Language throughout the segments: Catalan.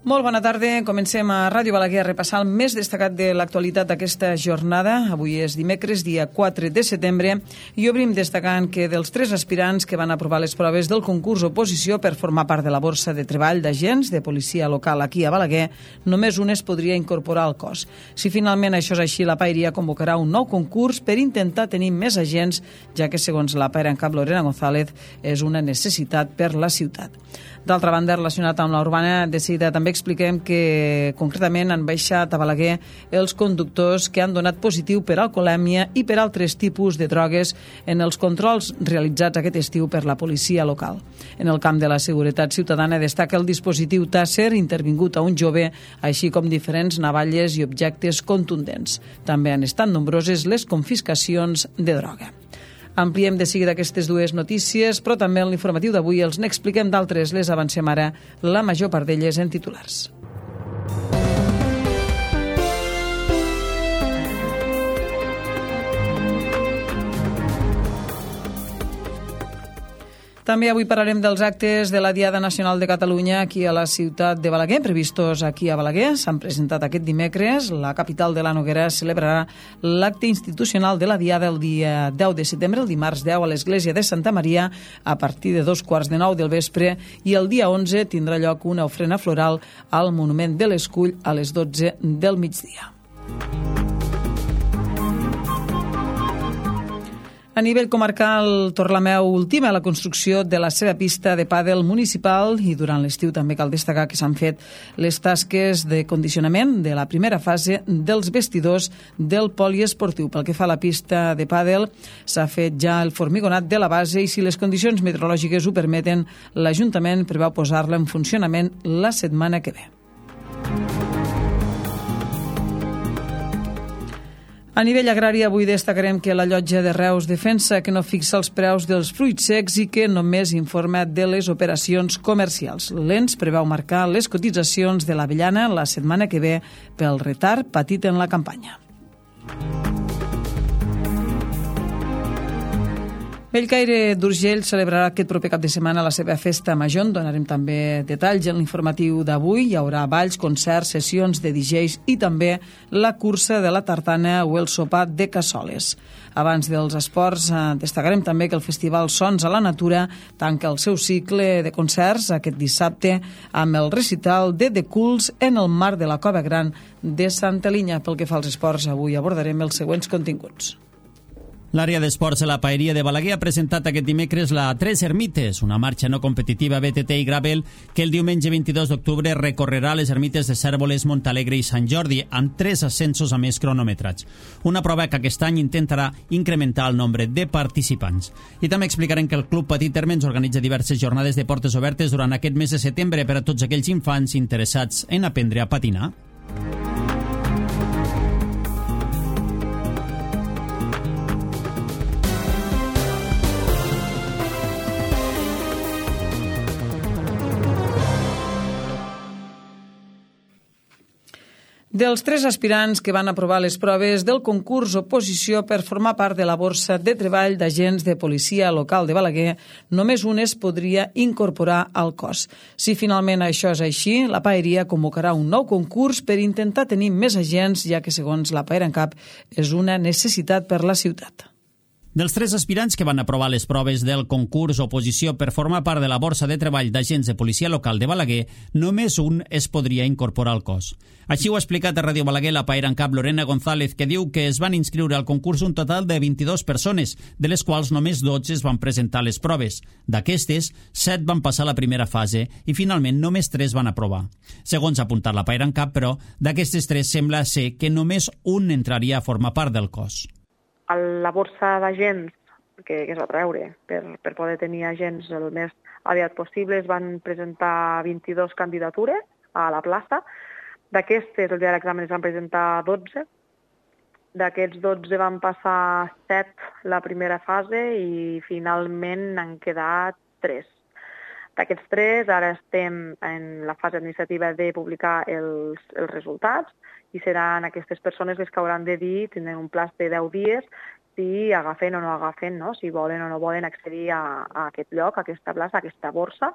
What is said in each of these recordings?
Molt bona tarda. Comencem a Ràdio Balaguer a repassar el més destacat de l'actualitat d'aquesta jornada. Avui és dimecres, dia 4 de setembre, i obrim destacant que dels 3 aspirants que van aprovar les proves del concurs oposició per formar part de la borsa de treball d'agents de policia local aquí a Balaguer, només un es podria incorporar al cos. Si finalment això és així, la Paeria convocarà un nou concurs per intentar tenir més agents, ja que, segons la Paera en cap Lorena González, és una necessitat per la ciutat. D'altra banda, relacionat amb la urbana, de seguida també expliquem que concretament han baixat a Balaguer els conductors que han donat positiu per alcoholèmia i per altres tipus de drogues en els controls realitzats aquest estiu per la policia local. En el camp de la seguretat ciutadana destaca el dispositiu Tàsser intervingut a un jove, així com diferents navalles i objectes contundents. També han estat nombroses les confiscacions de droga. Ampliem de seguida aquestes dues notícies, però també en l'informatiu d'avui els n'expliquem d'altres, les avancem ara, la major part d'elles en titulars. També avui parlarem dels actes de la Diada Nacional de Catalunya aquí a la ciutat de Balaguer, previstos aquí a Balaguer. S'han presentat aquest dimecres. La capital de la Noguera celebrarà l'acte institucional de la Diada el dia 10 de setembre, el dimarts 10, a l'església de Santa Maria, a partir de 9:15 del vespre, i el dia 11 tindrà lloc una ofrena floral al Monument de l'Escull a les 12 del migdia. A nivell comarcal, Torlameu ultima la construcció de la seva pista de pàdel municipal i durant l'estiu també cal destacar que s'han fet les tasques de condicionament de la primera fase dels vestidors del poliesportiu. Pel que fa a la pista de pàdel, s'ha fet ja el formigonat de la base i si les condicions meteorològiques ho permeten, l'Ajuntament preveu posar-la en funcionament la setmana que ve. A nivell agrari, avui destacarem que la Llotja de Reus defensa que no fixa els preus dels fruits secs i que només informa de les operacions comercials. L'ENS preveu marcar les cotitzacions de l'avellana la setmana que ve pel retard patit en la campanya. Bellcaire d'Urgell celebrarà aquest proper cap de setmana la seva festa major. En donarem també detalls en l'informatiu d'avui. Hi haurà balls, concerts, sessions de DJs i també la cursa de la tartana o el sopar de cassoles. Abans dels esports, destacarem també que el Festival Sons a la Natura tanca el seu cicle de concerts aquest dissabte amb el recital de The Cools en el marc de la Cova Gran de Santa Linya. Pel que fa als esports, avui abordarem els següents continguts. L'àrea d'esports a la Paeria de Balaguer ha presentat aquest dimecres la Tres Ermites, una marxa no competitiva BTT i Gravel que el diumenge 22 d'octubre recorrerà les ermites de Cérvoles, Montalegre i Sant Jordi, amb 3 ascensos a més cronometrats. Una prova que aquest any intentarà incrementar el nombre de participants. I també explicarem que el Club Petit Termes organitza diverses jornades de portes obertes durant aquest mes de setembre per a tots aquells infants interessats en aprendre a patinar. Dels 3 aspirants que van aprovar les proves del concurs oposició per formar part de la borsa de treball d'agents de policia local de Balaguer, només un es podria incorporar al cos. Si finalment això és així, la Paeria convocarà un nou concurs per intentar tenir més agents, ja que, segons la Paera en cap, és una necessitat per la ciutat. Dels 3 aspirants que van aprovar les proves del concurs oposició per formar part de la borsa de treball d'agents de policia local de Balaguer, només un es podria incorporar al cos. Així ho ha explicat a Ràdio Balaguer la Paera en cap Lorena González, que diu que es van inscriure al concurs un total de 22 persones, de les quals només 12 es van presentar les proves. D'aquestes, 7 van passar la primera fase i finalment només 3 van aprovar. Segons ha apuntat la Paera en cap, però, d'aquestes 3 sembla ser que només un entraria a formar part del cos. La borsa d'agents que es va treure per poder tenir agents el més aviat possible es van presentar 22 candidatures a la plaça. D'aquestes, el dia de l'examen es van presentar 12. D'aquests 12 van passar 7 la primera fase i finalment han quedat 3. D'aquests 3, ara estem en la fase administrativa de publicar els resultats i seran aquestes persones les que hauran de dir, tindran un plaç de 10 dies, si agafen o no agafen, no? Si volen o no volen accedir a aquest lloc, a aquesta plaça, a aquesta borsa,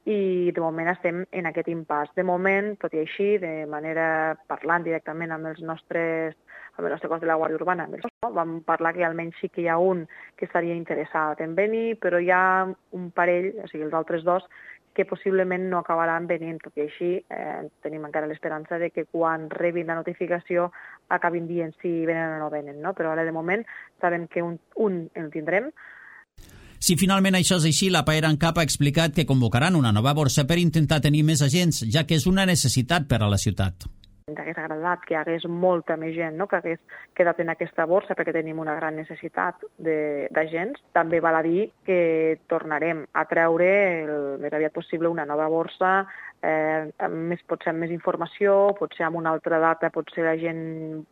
i de moment estem en aquest impàs. De moment, tot i així, de manera parlant directament amb el nostre cos de la Guàrdia Urbana, vam parlar que almenys sí que hi ha un que estaria interessat en venir, però hi ha un parell, o sigui, els altres dos, que possiblement no acabaran venint. Tot i així, tenim encara l'esperança de que quan rebin la notificació acabin dient si venen o no venen, no? Però ara, de moment, sabem que un el tindrem. Si finalment això és així, la PAER ANCAP ha explicat que convocaran una nova borsa per intentar tenir més agents, ja que és una necessitat per a la ciutat. Ens hagués agradat que hi hagués molta més gent, no?, que hagués quedat en aquesta borsa perquè tenim una gran necessitat d'agents. També val a dir que tornarem a treure el més aviat possible una nova borsa, potser amb més informació, potser amb una altra data, potser la gent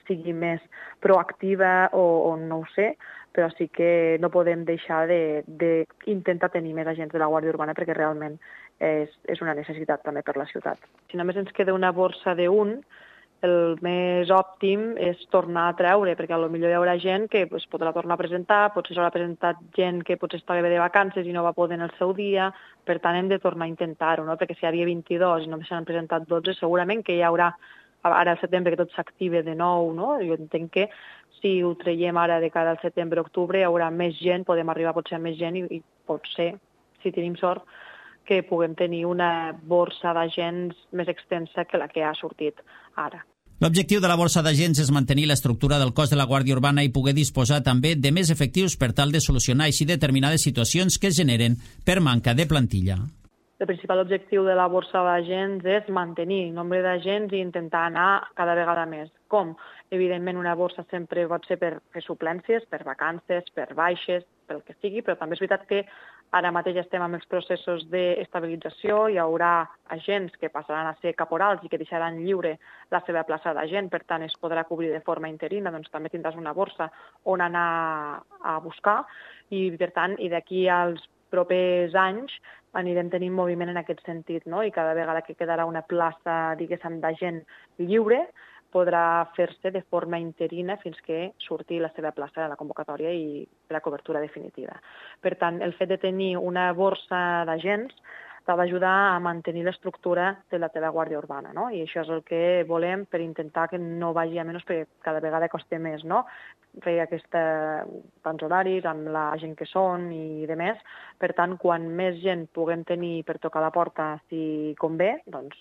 sigui més proactiva o no ho sé, però sí que no podem deixar d'intentar tenir més agents de la Guàrdia Urbana perquè realment és una necessitat també per la ciutat. Si només ens queda una borsa d'un, el més òptim és tornar a treure, perquè potser hi haurà gent que podrà tornar a presentar, potser s'haurà presentat gent que potser estava de vacances i no va poder en el seu dia, per tant hem de tornar a intentar-ho, no? Perquè si hi havia 22 i només s'han presentat 12, segurament que hi haurà ara al setembre que tot s'active de nou, no? Jo entenc que si ho traiem ara de cara al setembre-octubre hi haurà més gent, podem arribar potser a més gent i potser, si tenim sort, que puguem tenir una borsa d'agents més extensa que la que ha sortit ara. L'objectiu de la borsa d'agents és mantenir l'estructura del cos de la Guàrdia Urbana i poder disposar també de més efectius per tal de solucionar així determinades situacions que es generen per manca de plantilla. El principal objectiu de la borsa d'agents és mantenir el nombre d'agents i intentar anar cada vegada més. Com? Evidentment, una borsa sempre pot ser per fer suplències, per vacances, per baixes, pel que sigui, però també és veritat que ara mateix estem amb els processos d'estabilització, hi haurà agents que passaran a ser caporals i que deixaran lliure la seva plaça d'agent, per tant es podrà cobrir de forma interina, doncs també tindràs una borsa on anar a buscar i per tant, i d'aquí als propers anys anirem tenint moviment en aquest sentit, no? I cada vegada que quedarà una plaça, diguéssim, d'agent lliure, podrà fer-se de forma interina fins que surti la seva plaça de la convocatòria i la cobertura definitiva. Per tant, el fet de tenir una borsa d'agents t'ha d'ajudar a mantenir l'estructura de la teva Guàrdia Urbana, no? I això és el que volem per intentar que no vagi a menys, perquè cada vegada costa més, no? Fer tants horaris amb la gent que són i de més. Per tant, quan més gent puguem tenir per tocar la porta si convé, doncs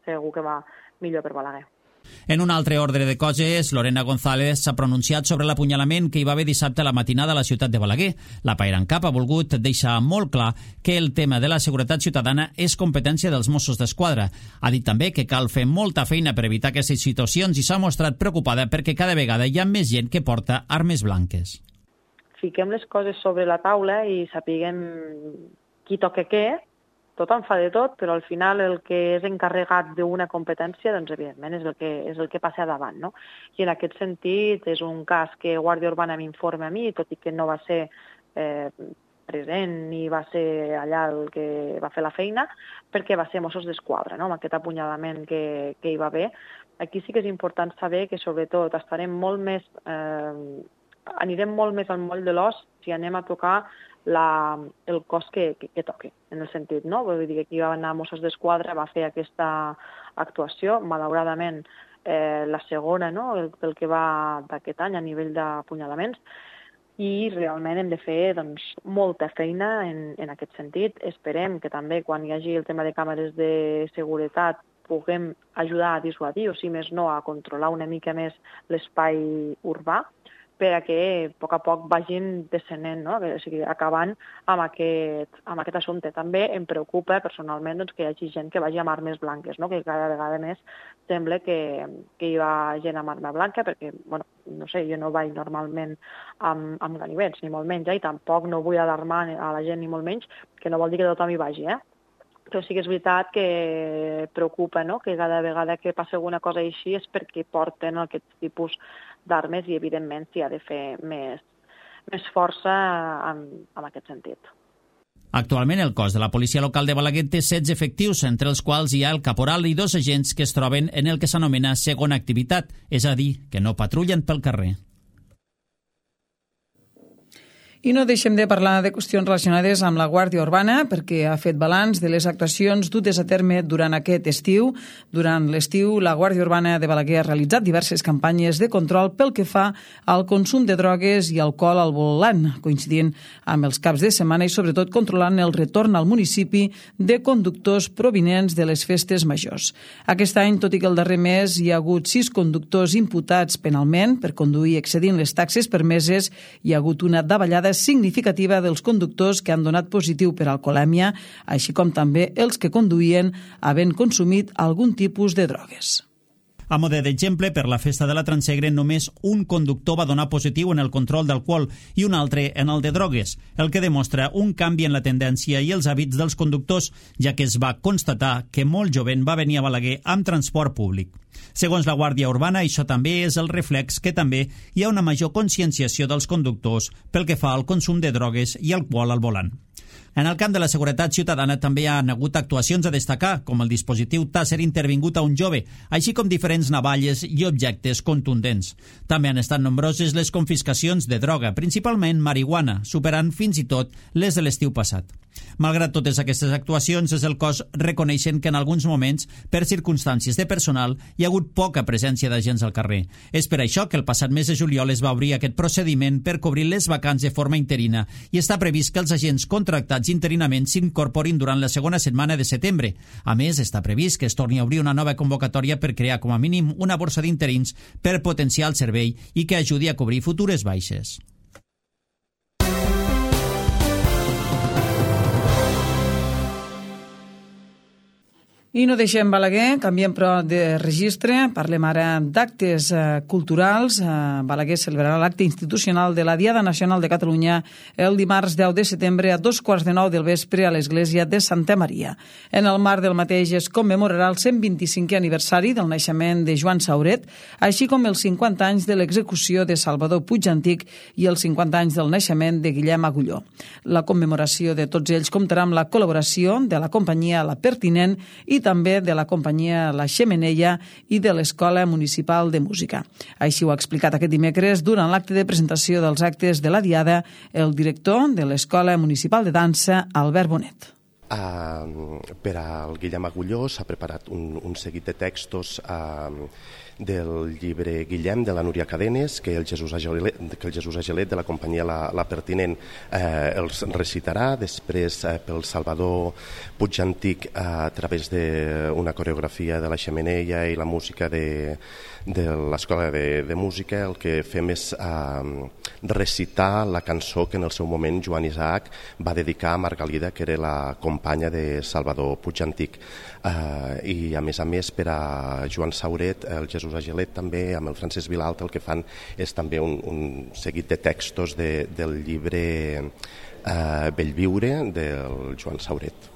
segur que va millor per Balaguer. En un altre ordre de coses, Lorena González s'ha pronunciat sobre l'apunyalament que hi va haver dissabte a la matinada a la ciutat de Balaguer. La PAER ANCAP ha volgut deixar molt clar que el tema de la seguretat ciutadana és competència dels Mossos d'Esquadra. Ha dit també que cal fer molta feina per evitar aquestes situacions i s'ha mostrat preocupada perquè cada vegada hi ha més gent que porta armes blanques. Fiquem les coses sobre la taula i sapiguem qui toca què. Tothom fa de tot, però al final el que és encarregat d'una competència, doncs evidentment és el que passa davant, no? I en aquest sentit és un cas que Guàrdia Urbana m'informa a mi, tot i que no va ser present ni va ser allà el que va fer la feina, perquè va ser Mossos d'Esquadra, no? Amb aquest apunyalament que hi va haver. Aquí sí que és important saber que sobretot anirem molt més al moll de l'os si anem a tocar el cos que toqui, en el sentit, no? Vull dir que aquí va anar Mossos d'Esquadra, va fer aquesta actuació, malauradament la segona, no?, el que va d'aquest any a nivell d'apunyalaments, i realment hem de fer molta feina en aquest sentit. Esperem que també quan hi hagi el tema de càmeres de seguretat puguem ajudar a dissuadir, o si més no, a controlar una mica més l'espai urbà, per a que a poc vagin descenent, no? O sigui, acabant amb aquest assumpte. També em preocupa personalment que hi hagi gent que vagi amb armes blanques, no? Que cada vegada més sembla que hi va gent amb arma blanca, perquè, no sé, jo no vaig normalment amb ganivets, ni molt menys, i tampoc no vull alarmar a la gent, ni molt menys, que no vol dir que tothom hi vagi, Però sí que és veritat que preocupa, no?, que cada vegada que passa alguna cosa així és perquè porten aquest tipus d'armes i, evidentment, s'hi ha de fer més força en aquest sentit. Actualment, el cos de la policia local de Balaguer té 16 efectius, entre els quals hi ha el caporal i 2 agents que es troben en el que s'anomena segona activitat, és a dir, que no patrullen pel carrer. I no deixem de parlar de qüestions relacionades amb la Guàrdia Urbana perquè ha fet balanç de les actuacions dutes a terme durant aquest estiu. Durant l'estiu, la Guàrdia Urbana de Balaguer ha realitzat diverses campanyes de control pel que fa al consum de drogues i alcohol al volant, coincidint amb els caps de setmana i sobretot controlant el retorn al municipi de conductors provinents de les festes majors. Aquest any, tot i que el darrer mes hi ha hagut 6 conductors imputats penalment per conduir excedint les taxes permeses, hi ha hagut una davallada significativa dels conductors que han donat positiu per alcoholèmia, així com també els que conduïen havent consumit algun tipus de drogues. A mode d'exemple, per la festa de la Transegre, només un conductor va donar positiu en el control d'alcohol i un altre en el de drogues, el que demostra un canvi en la tendència i els hàbits dels conductors, ja que es va constatar que molt jovent va venir a Balaguer amb transport públic. Segons la Guàrdia Urbana, això també és el reflex que també hi ha una major conscienciació dels conductors pel que fa al consum de drogues i alcohol al volant. En el camp de la seguretat ciutadana també hi ha hagut actuacions a destacar, com el dispositiu Taser intervingut a un jove, així com diferents navalles i objectes contundents. També han estat nombroses les confiscacions de droga, principalment marihuana, superant fins i tot les de l'estiu passat. Malgrat totes aquestes actuacions, és el cos reconeixent que en alguns moments, per circumstàncies de personal, hi ha hagut poca presència d'agents al carrer. És per això que el passat mes de juliol es va obrir aquest procediment per cobrir les vacants de forma interina i està previst que els agents contractats interinament s'incorporin durant la segona setmana de setembre. A més, està previst que es torni a obrir una nova convocatòria per crear com a mínim una borsa d'interins per potenciar el servei i que ajudi a cobrir futures baixes. I no deixem Balaguer, canviem però de registre, parlem ara d'actes culturals. Balaguer celebrarà l'acte institucional de la Diada Nacional de Catalunya el dimarts 10 de setembre a 8:45 del vespre a l'església de Santa Maria. En el marc del mateix es commemorarà el 125è aniversari del naixement de Joan Sauret, així com els 50 anys de l'execució de Salvador Puig Antic i els 50 anys del naixement de Guillem Agulló. La commemoració de tots ells comptarà amb la col·laboració de la companyia La Pertinent i també de la companyia La Xemeneia i de l'Escola Municipal de Música. Així ho ha explicat aquest dimecres durant l'acte de presentació dels actes de la Diada el director de l'Escola Municipal de Dansa, Albert Bonet. Per al Guillem Agulló s'ha preparat un seguit de textos del llibre Guillem de la Núria Cadenes, que el Jesús Agelet de la companyia La Pertinent els recitarà. Després pel Salvador Puig Antic a través d'una coreografia de La Xemeneia i la música de l'Escola de Música. El que fem és recitar la cançó que en el seu moment Joan Isaac va dedicar a Margalida, que era la companya de Salvador Puig Antic. I a més per a Joan Sauret, el Jesús Agelet també, amb el Francesc Vilalta, el que fan és també un seguit de textos del llibre Bellviure del Joan Sauret.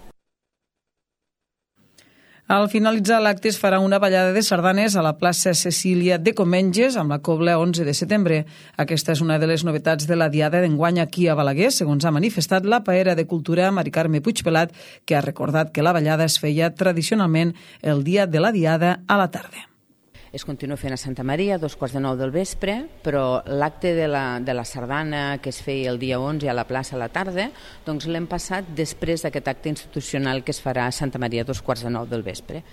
Al finalitzar l'acte es farà una ballada de sardanes a la plaça Cecília de Comenges amb la cobla 11 de setembre. Aquesta és una de les novetats de la Diada d'enguany aquí a Balaguer, segons ha manifestat la paera de Cultura Mari Carme Puigpelat, que ha recordat que la ballada es feia tradicionalment el dia de la Diada a la tarda. Es continua fent a Santa Maria a 8:45 del vespre, però l'acte de la sardana que es feia el dia 11 a la plaça a la tarda, doncs l'hem passat després d'aquest acte institucional que es farà a Santa Maria a 8:45 del vespre.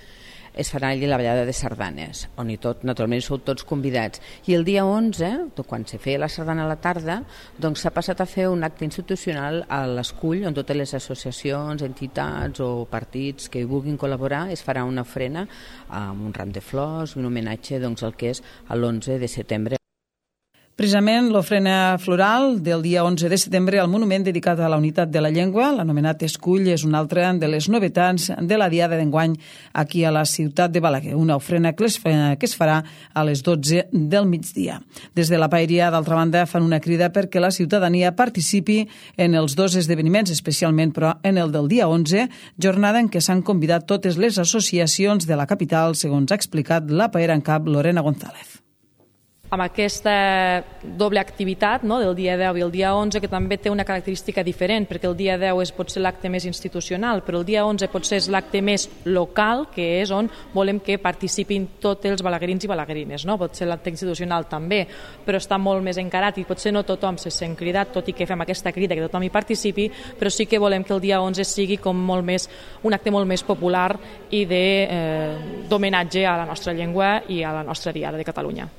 Es farà allà la ballada de sardanes, on naturalment sou tots convidats. I el dia 11, quan se feia la sardana a la tarda, doncs s'ha passat a fer un acte institucional a l'Escull, on totes les associacions, entitats o partits que hi vulguin col·laborar es farà una ofrena amb un ram de flors, un homenatge doncs, al que és l'11 de setembre. Precisament l'ofrena floral del dia 11 de setembre al monument dedicat a la unitat de la llengua, l'anomenat Escull, és una altra de les novetats de la Diada d'enguany aquí a la ciutat de Balaguer, una ofrena que es farà a les 12 del migdia. Des de la paeria, d'altra banda, fan una crida perquè la ciutadania participi en els dos esdeveniments, especialment però en el del dia 11, jornada en què s'han convidat totes les associacions de la capital, segons ha explicat la paera en cap Lorena González. amb aquesta doble activitat, no?, del dia 10 i el dia 11, que també té una característica diferent, perquè el dia 10 pot ser l'acte més institucional, però el dia 11 potser és l'acte més local, que és on volem que participin tots els balaguerins i balaguerines, no? Pot ser l'acte institucional també, però està molt més encarat i potser no tothom se sent cridat, tot i que fem aquesta crida que tothom hi participi, però sí que volem que el dia 11 sigui com molt més, un acte molt més popular i d'homenatge a la nostra llengua i a la nostra diada de Catalunya.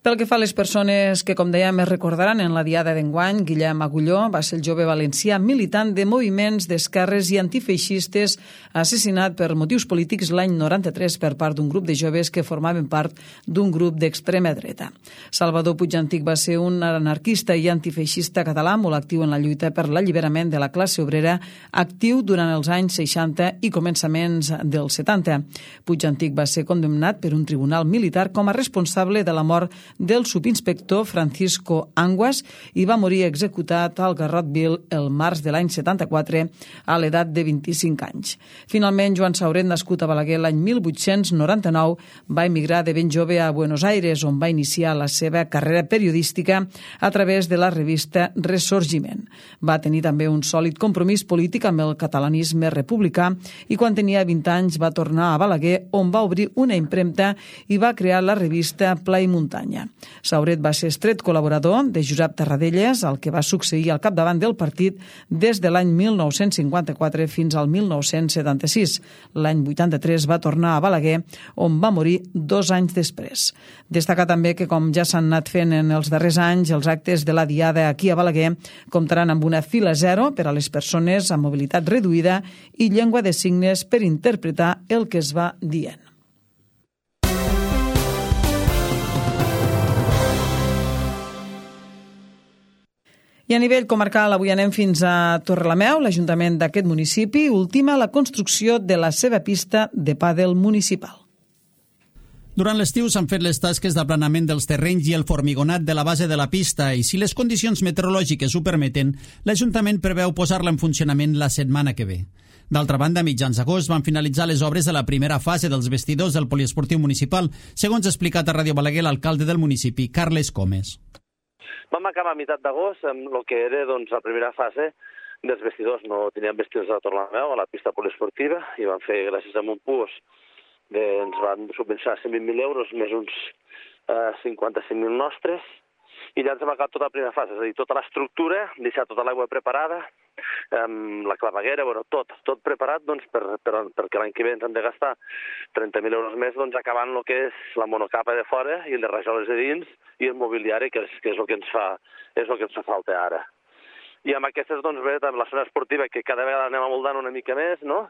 Pel que fa a les persones que, com dèiem, es recordaran en la diada d'enguany, Guillem Agulló va ser el jove valencià militant de moviments d'esquerres i antifeixistes assassinat per motius polítics l'any 93 per part d'un grup de joves que formaven part d'un grup d'extrema dreta. Salvador Puigantic va ser un anarquista i antifeixista català molt actiu en la lluita per l'alliberament de la classe obrera, actiu durant els anys 60 i començaments dels 70. Puigantic va ser condemnat per un tribunal militar com a responsable de la mort del subinspector Francisco Anguas i va morir executat al Garrotville el març de l'any 74 a l'edat de 25 anys. Finalment, Joan Sauret, nascut a Balaguer l'any 1899, va emigrar de ben jove a Buenos Aires, on va iniciar la seva carrera periodística a través de la revista Ressorgiment. Va tenir també un sòlid compromís polític amb el catalanisme republicà i quan tenia 20 anys va tornar a Balaguer, on va obrir una impremta i va crear la revista Pla i Muntanya. Sauret va ser estret col·laborador de Josep Tarradellas, el que va succeir al capdavant del partit des de l'any 1954 fins al 1976. L'any 83 va tornar a Balaguer, on va morir 2 anys després. Destacar també que, com ja s'han anat fent en els darrers anys, els actes de la diada aquí a Balaguer comptaran amb una fila zero per a les persones amb mobilitat reduïda i llengua de signes per interpretar el que es va dient. I a nivell comarcal, avui anem fins a Torrelameu. L'Ajuntament d'aquest municipi ultima la construcció de la seva pista de pàdel municipal. Durant l'estiu s'han fet les tasques d'aplanament dels terrenys i el formigonat de la base de la pista i, si les condicions meteorològiques ho permeten, l'Ajuntament preveu posar-la en funcionament la setmana que ve. D'altra banda, a mitjans d'agost van finalitzar les obres de la primera fase dels vestidors del poliesportiu municipal, segons ha explicat a Ràdio Balaguer l'alcalde del municipi, Carles Comes. Vam acabar a meitat d'agost amb el que era la primera fase dels vestidors. No teníem vestidors a Torrelameu, a la pista poliesportiva, i vam fer, gràcies a Montpús, ens van subvencionar 120.000 euros més uns 55.000 nostres, i ja ens hem acabat tota la primera fase, és a dir, tota l'estructura, deixar tota l'aigua preparada, la claveguera, tot preparat perquè l'any que ve ens hem de gastar 30.000 euros més acabant el que és la monocapa de fora i les rajoles de dins i el mobiliari, que és el que ens fa falta ara. I amb aquestes, bé, també la zona esportiva, que cada vegada anem amoldant una mica més, no?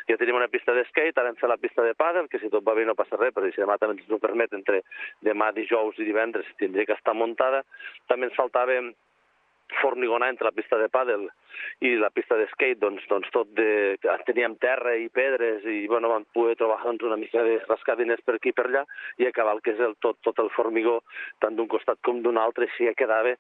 Ja tenim una pista d'skate, ara hem fet la pista de pàdel, que si tot va bé no passa res, però si demà també ens ho permet, entre demà, dijous i divendres, tindria que estar muntada. També ens faltava formigonar entre la pista de pàdel i la pista d'skate, teníem terra i pedres i vam poder trobar una mica de rascar diners per aquí i per allà i acabar el que és tot el formigó, tant d'un costat com d'un altre, així ja quedava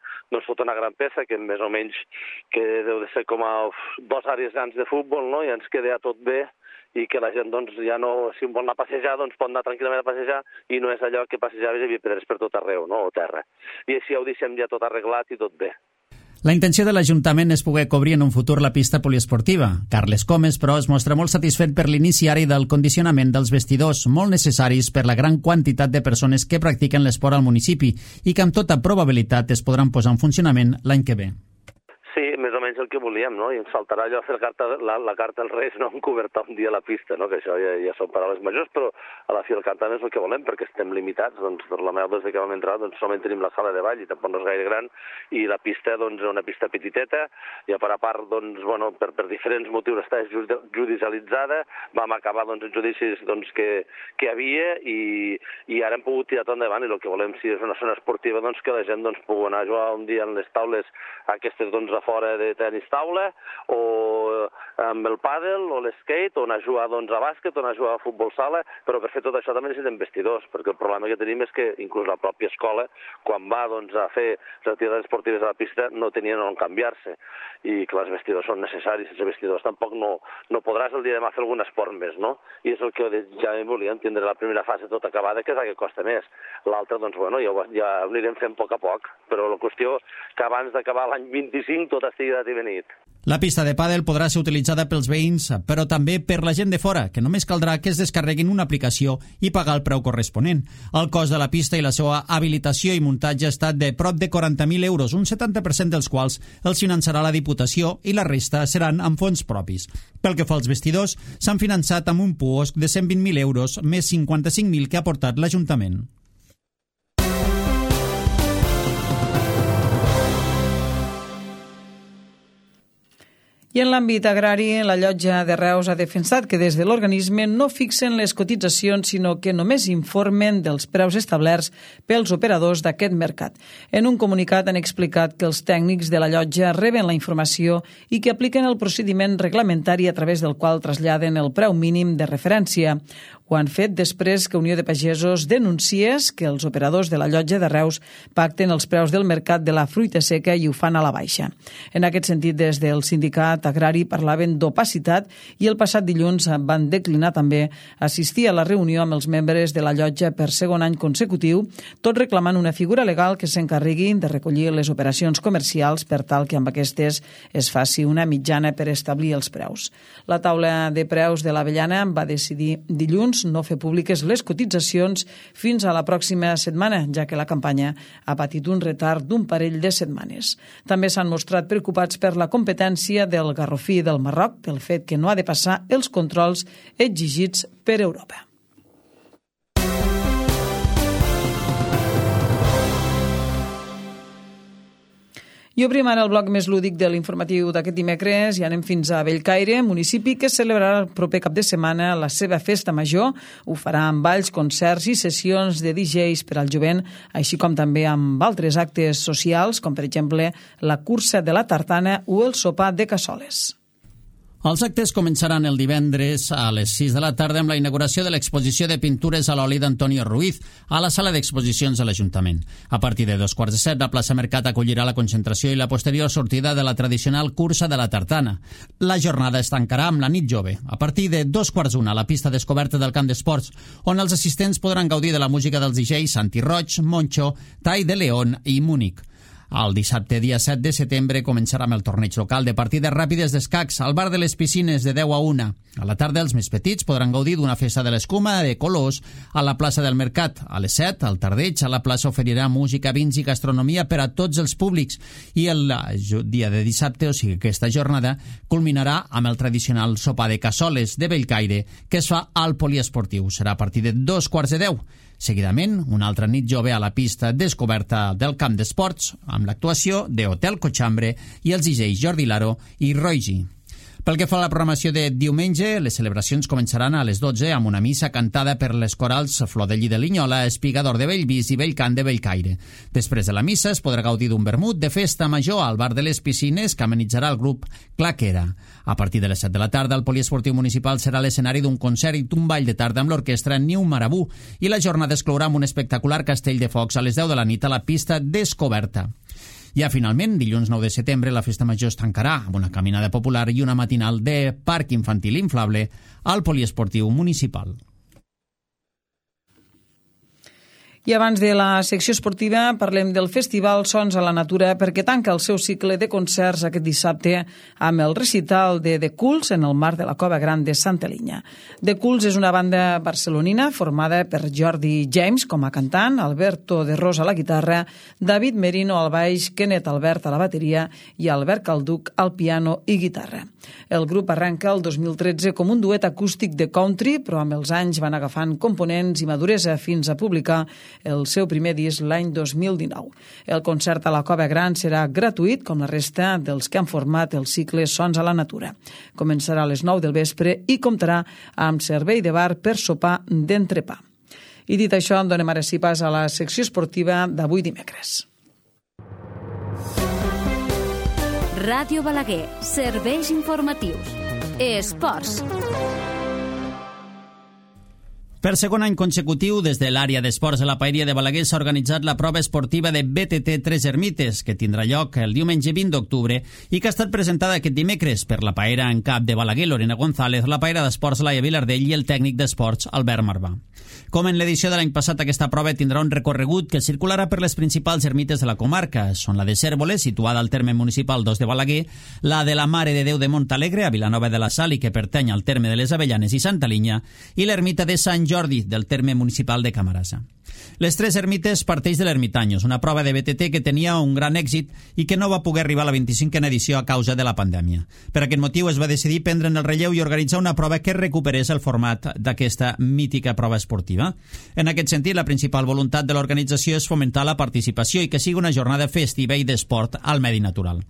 tota una gran peça que més o menys que deu de ser com a 2 àrees grans de futbol, no? I ens queda tot bé i que la gent ja no, si vol anar a passejar, pot anar tranquil·lament a passejar i no és allò que passejaves i hi havia pedres per tot arreu, no? O terra. I així ho deixem ja tot arreglat i tot bé. La intenció de l'Ajuntament és poder cobrir en un futur la pista poliesportiva. Carles Comes, però, es mostra molt satisfet per l'inici ara i del condicionament dels vestidors, molt necessaris per la gran quantitat de persones que practiquen l'esport al municipi i que amb tota probabilitat es podran posar en funcionament l'any que ve. Sí, més o menys el que volíem, no? I ens faltarà allò fer la carta als Reis, no? Encobertar un dia la pista, no? Que això ja són paraules majors, però a la fi el cantant és el que volem, perquè estem limitats. Torrelameu, des que vam entrar, solament tenim la sala de ball i tampoc no és gaire gran, i la pista, és una pista petiteta, i a part, per diferents motius està judicialitzada, vam acabar els judicis que hi havia, i ara hem pogut tirar tot endavant, i el que volem, si és una zona esportiva, que la gent pugui anar a jugar un dia en les taules aquestes a fora de tenis taula o amb el pàdel o l'skate, o anar a jugar a bàsquet, o anar a jugar a futbol sala, però per fer tot això també necessitem vestidors, perquè el problema que tenim és que inclús la pròpia escola, quan va a fer les activitats esportives a la pista, no tenien on canviar-se, i que els vestidors són necessaris, sense vestidors tampoc no podràs el dia de demà fer algun esport més, no? I és el que ja volíem tindre la primera fase tot acabada, que és la que costa més. L'altra, doncs, bueno, ja ho anirem fent a poc, però la qüestió que abans d'acabar l'any 25 tot estigui dat i benit. La pista de pàdel podrà ser utilitzada pels veïns, però també per la gent de fora, que només caldrà que es descarreguin una aplicació i pagar el preu corresponent. El cost de la pista i la seva habilitació i muntatge ha estat de prop de 40.000 euros, un 70% dels quals els finançarà la Diputació i la resta seran amb fons propis. Pel que fa als vestidors, s'han finançat amb un puosc de 120.000 euros, més 55.000 que ha aportat l'Ajuntament. I en l'àmbit agrari, la Llotja de Reus ha defensat que des de l'organisme no fixen les cotitzacions, sinó que només informen dels preus establerts pels operadors d'aquest mercat. En un comunicat han explicat que els tècnics de la Llotja reben la informació i que apliquen el procediment reglamentari a través del qual traslladen el preu mínim de referència. Ho han fet després que Unió de Pagesos denunciés que els operadors de la Llotja de Reus pacten els preus del mercat de la fruita seca i ho fan a la baixa. En aquest sentit, des del sindicat agrari parlaven d'opacitat i el passat dilluns van declinar també assistir a la reunió amb els membres de la Llotja per segon any consecutiu, tot reclamant una figura legal que s'encarregui de recollir les operacions comercials per tal que amb aquestes es faci una mitjana per establir els preus. La taula de preus de l'avellana va decidir dilluns no fer públiques les cotitzacions fins a la pròxima setmana, ja que la campanya ha patit un retard d'un parell de setmanes. També s'han mostrat preocupats per la competència del garrofí del Marroc, pel fet que no ha de passar els controls exigits per Europa. I obrim ara el bloc més lúdic de l'informatiu d'aquest dimecres i anem fins a Bellcaire, municipi que celebrarà el proper cap de setmana la seva festa major. Ho farà amb balls, concerts i sessions de DJs per al jovent, així com també amb altres actes socials, com per exemple la cursa de la tartana o el sopar de cassoles. Els actes començaran el divendres a les 6 de la tarda amb la inauguració de l'exposició de pintures a l'oli d'Antonio Ruiz a la sala d'exposicions de l'Ajuntament. A partir de 2:15, la plaça Mercat acollirà la concentració i la posterior sortida de la tradicional cursa de la tartana. La jornada es tancarà amb la nit jove, a partir de 2:15 a la pista descoberta del camp d'esports, on els assistents podran gaudir de la música dels DJs Santi Roig, Moncho, Tai de León i Múnich. El dissabte, dia 7 de setembre, començarà amb el torneig local de partides ràpides d'escacs al bar de les Piscines de 10 a 1. A la tarda, els més petits podran gaudir d'una festa de l'escuma de colors a la plaça del Mercat. A les 7, al tardeig, a la plaça oferirà música, vins i gastronomia per a tots els públics. I el dia de dissabte, o sigui aquesta jornada, culminarà amb el tradicional sopar de cassoles de Bellcaire, que es fa al poliesportiu. Serà a partir de 2:15. Seguidament, una altra nit jove a la pista descoberta del camp d'esports, amb l'actuació de Hotel Cochambre i els DJs Jordi Laro i Roy G. Pel que fa a la programació de diumenge, les celebracions començaran a les 12 amb una missa cantada per les corals Flor de Lli de Linyola, Espigador de Bellvís i Bellcant de Bellcaire. Després de la missa es podrà gaudir d'un vermut de festa major al bar de les Piscines que amenitzarà el grup Claquera. A partir de les 7 de la tarda, el poliesportiu municipal serà l'escenari d'un concert i d'un ball de tarda amb l'orquestra Niu Marabú i la jornada es clourà amb un espectacular castell de focs a les 10 de la nit a la pista descoberta. Ja finalment, dilluns 9 de setembre, la festa major es tancarà amb una caminada popular i una matinal de parc infantil inflable al poliesportiu municipal. I abans de la secció esportiva parlem del Festival Sons a la Natura perquè tanca el seu cicle de concerts aquest dissabte amb el recital de The Cools en el marc de la Cova Gran de Santa Linya. The Cools és una banda barcelonina formada per Jordi James com a cantant, Alberto de Ros a la guitarra, David Merino al baix, Kenneth Albert a la bateria i Albert Calduc al piano i guitarra. El grup arrenca el 2013 com un duet acústic de country, però amb els anys van agafant components i maduresa fins a publicar el seu primer disc l'any 2019. El concert a la Cova Gran serà gratuït, com la resta dels que han format el cicle Sons a la Natura. Començarà a les 9 del vespre i comptarà amb servei de bar per sopar d'entrepà. I dit això, en donem ara sí pas a la secció esportiva d'avui dimecres. Ràdio Balaguer, serveis informatius. Esports. Per segon any consecutiu, des de l'àrea d'esports de la Paeria de Balaguer s'ha organitzat la prova esportiva de BTT Tres Ermites, que tindrà lloc el diumenge 20 d'octubre i que ha estat presentada aquest dimecres per la paera en cap de Balaguer, Lorena González, la paera d'esports Laia Vilardell i el tècnic d'esports Albert Marvà. Com en l'edició de l'any passat, aquesta prova tindrà un recorregut que circularà per les principals ermites de la comarca. Són la de Cérvoles, situada al terme municipal d'Os de Balaguer, la de la Mare de Déu de Montalegre, a Vilanova de la Sal, i que pertany al terme de les Avellanes i Santa Linya, i l'ermita de Sant Jordi, del terme municipal de Camarasa. Les Tres Ermites parteix de l'Ermitanyos, una prova de BTT que tenia un gran èxit i que no va poder arribar a la 25a edició a causa de la pandèmia. Per aquest motiu es va decidir prendre'n el relleu i organitzar una prova que recuperés el format d'aquesta mítica prova esportiva. En aquest sentit, la principal voluntat de l'organització és fomentar la participació i que sigui una jornada festiva i d'esport al medi natural.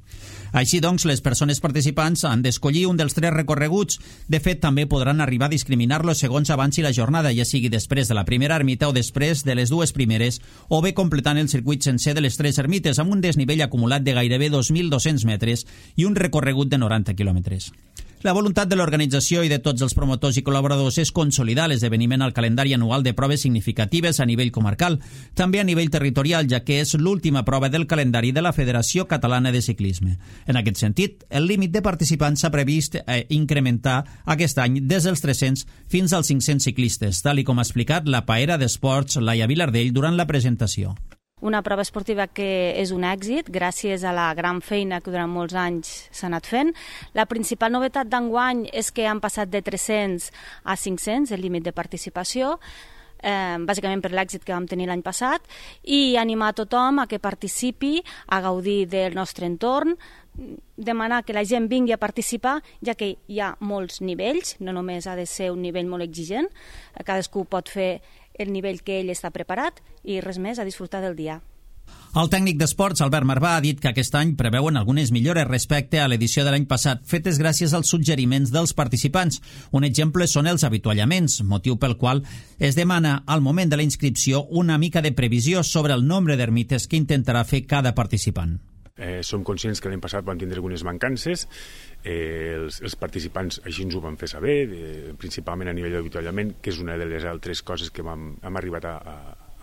Així doncs, les persones participants han d'escollir un dels 3 recorreguts. De fet, també podran arribar a discriminar-los segons avanci la jornada, ja sigui després de la primera ermita o després de les 2 primeres, o bé completant el circuit sencer de les 3 ermites amb un desnivell acumulat de gairebé 2.200 metres i un recorregut de 90 quilòmetres. La voluntat de l'organització i de tots els promotors i col·laboradors és consolidar l'esdeveniment al calendari anual de proves significatives a nivell comarcal, també a nivell territorial, ja que és l'última prova del calendari de la Federació Catalana de Ciclisme. En aquest sentit, el límit de participants s'ha previst incrementar aquest any des dels 300 fins als 500 ciclistes, tal com ha explicat la paera d'esports Laia Vilardell durant la presentació. Una prova esportiva que és un èxit gràcies a la gran feina que durant molts anys s'ha anat fent. La principal novetat d'enguany és que han passat de 300 a 500 el límit de participació, bàsicament per l'èxit que vam tenir l'any passat, i animar a tothom a que participi, a gaudir del nostre entorn, demanar que la gent vingui a participar, ja que hi ha molts nivells, no només ha de ser un nivell molt exigent, cadascú pot fer el nivell que ell està preparat i res més, a disfrutar del dia. El tècnic d'esports, Albert Marvà, ha dit que aquest any preveuen algunes millores respecte a l'edició de l'any passat, fetes gràcies als suggeriments dels participants. Un exemple són els avituallaments, motiu pel qual es demana al moment de la inscripció una mica de previsió sobre el nombre d'ermites que intentarà fer cada participant. Som conscients que l'any passat vam tindre algunes mancances, els participants així ens ho van fer saber, principalment a nivell d'avituallament, que és una de les altres coses que hem arribat a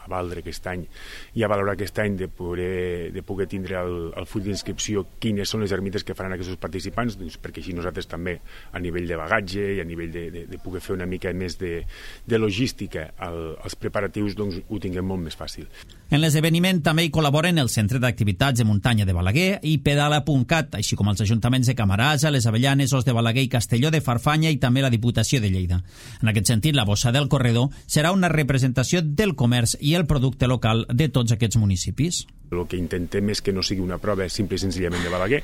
valdre aquest any i a valorar aquest any de poder tindre el full d'inscripció quines són les ermites que faran aquests participants, doncs perquè així nosaltres també a nivell de bagatge i a nivell de poder fer una mica més de logística els preparatius, doncs ho tinguem molt més fàcil. En l'esdeveniment també hi col·laboren el Centre d'Activitats de Muntanya de Balaguer i Pedala.cat, així com els ajuntaments de Camarasa, les Avellanes, Os de Balaguer i Castelló de Farfanya i també la Diputació de Lleida. En aquest sentit, la bossa del corredor serà una representació del comerç i el producte local de tots aquests municipis. El que intentem és que no sigui una prova simple i senzillament de Balaguer.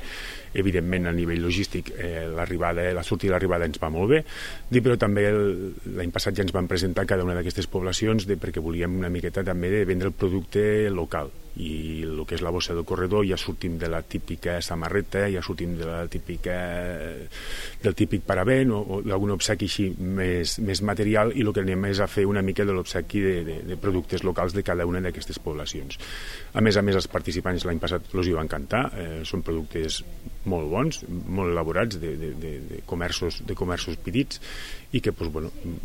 Evidentment, a nivell logístic, la sortida i l'arribada ens va molt bé, però també l'any passat ja ens van presentar cada una d'aquestes poblacions perquè volíem una miqueta també de vendre el producte local. I el que és la bossa del corredor ja sortim de la típica samarreta, ja sortim de la del típic paravent o d'algun obsequi així més material, i el que anem és a fer una mica de l'obsequi de productes locals de cada una d'aquestes poblacions. A més, els participants l'any passat els hi va encantar, són productes molt bons, molt elaborats de comerços petits, i que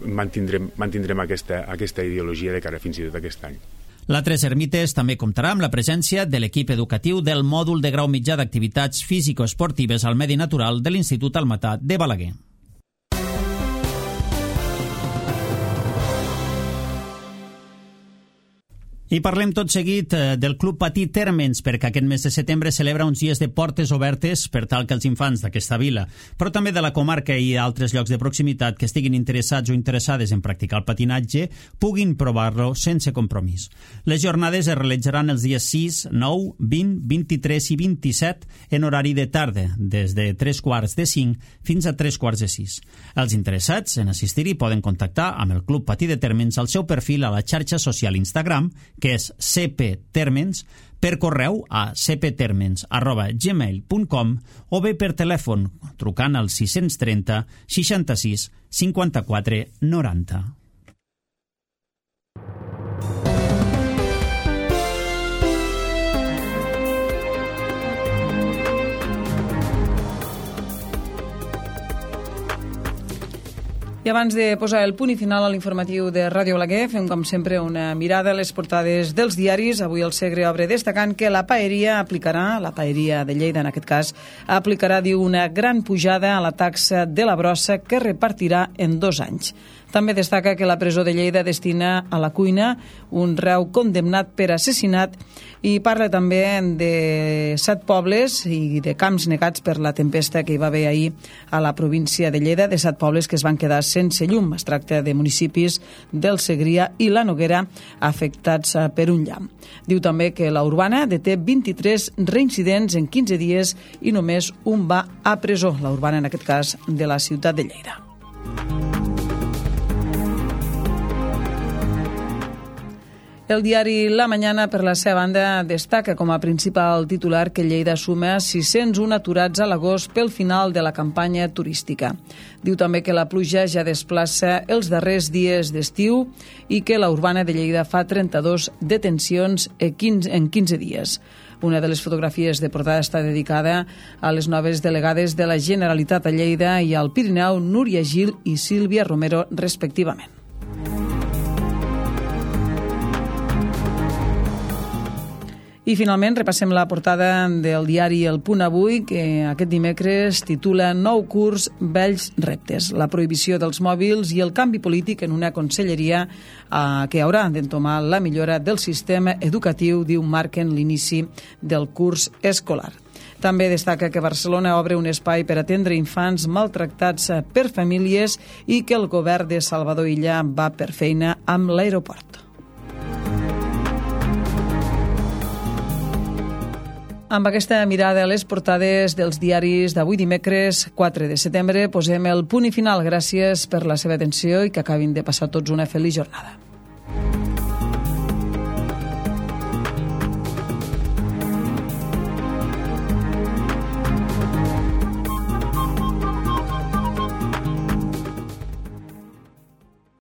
mantindrem aquesta ideologia de cara fins i tot aquest any. La Tres Ermites també comptarà amb la presència de l'equip educatiu del mòdul de grau mitjà d'activitats físico-esportives al medi natural de l'Institut Almatà de Balaguer. I parlem tot seguit del Club Patí Térmens, perquè aquest mes de setembre celebra uns dies de portes obertes per tal que els infants d'aquesta vila, però també de la comarca i altres llocs de proximitat que estiguin interessats o interessades en practicar el patinatge puguin provar-lo sense compromís. Les jornades es realitzaran els dies 6, 9, 20, 23 i 27 en horari de tarda, des de 3:45 fins a 3:45. Els interessats en assistir-hi poden contactar amb el Club Patí de Térmens al seu perfil a la xarxa social Instagram, que és cptermens, per correu a cptermens@gmail.com o bé per telèfon trucant al 630 66 54 90. I abans de posar el punt i final a l'informatiu de Ràdio Balaguer, fem com sempre una mirada a les portades dels diaris. Avui el Segre obre destacant que la paeria de Lleida en aquest cas, aplicarà, diu, una gran pujada a la taxa de la brossa que repartirà en 2 anys. També destaca que la presó de Lleida destina a la cuina un reu condemnat per assassinat i parla també de 7 pobles i de camps negats per la tempesta que hi va haver ahir a la província de Lleida, de 7 pobles que es van quedar sense llum. Es tracta de municipis del Segrià i la Noguera afectats per un llamp. Diu també que la Urbana deté 23 reincidents en 15 dies i només un va a presó. La Urbana, en aquest cas, de la ciutat de Lleida. El diari La Mañana, per la seva banda, destaca com a principal titular que Lleida suma 601 aturats a l'agost pel final de la campanya turística. Diu també que la pluja ja desplaça els darrers dies d'estiu i que la Urbana de Lleida fa 32 detencions en 15 dies. Una de les fotografies de portada està dedicada a les noves delegades de la Generalitat a Lleida i al Pirineu, Núria Gil i Sílvia Romero, respectivament. I finalment repassem la portada del diari El Punt Avui, que aquest dimecres titula Nou curs, vells reptes. La prohibició dels mòbils i el canvi polític en una conselleria que haurà d'entomar la millora del sistema educatiu, diu, marquen l'inici del curs escolar. També destaca que Barcelona obre un espai per atendre infants maltractats per famílies i que el govern de Salvador Illa va per feina amb l'aeroport. Amb aquesta mirada a les portades dels diaris d'avui dimecres 4 de setembre posem el punt i final. Gràcies per la seva atenció i que acabin de passar tots una feliç jornada.